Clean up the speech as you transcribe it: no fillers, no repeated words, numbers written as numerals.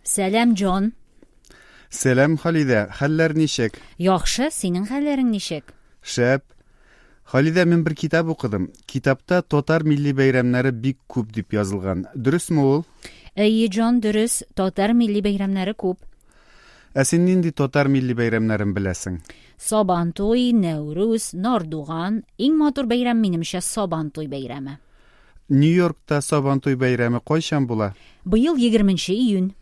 Сәлам, Джон. Сәлам, Халидә. Хәлләр ничек? Яхшы, синең хәлләрең ничек? Шәп. Халидә, мин бер китап укыдым. Китапта татар милли бәйрәмнәре бик күп дип язылган. Дөресме ул? Әйе, Джон, дөрес. Татар милли бәйрәмнәре күп. Ә син нинди татар милли бәйрәмнәрен беләсең? Сабантуй, Нәүрүз, Нардуган. Иң матур бәйрәм, минемчә, Сабантуй бәйрәме. Нью-Йоркта Сабантуй бәйрәме кайчан була? Быел 20 июнь.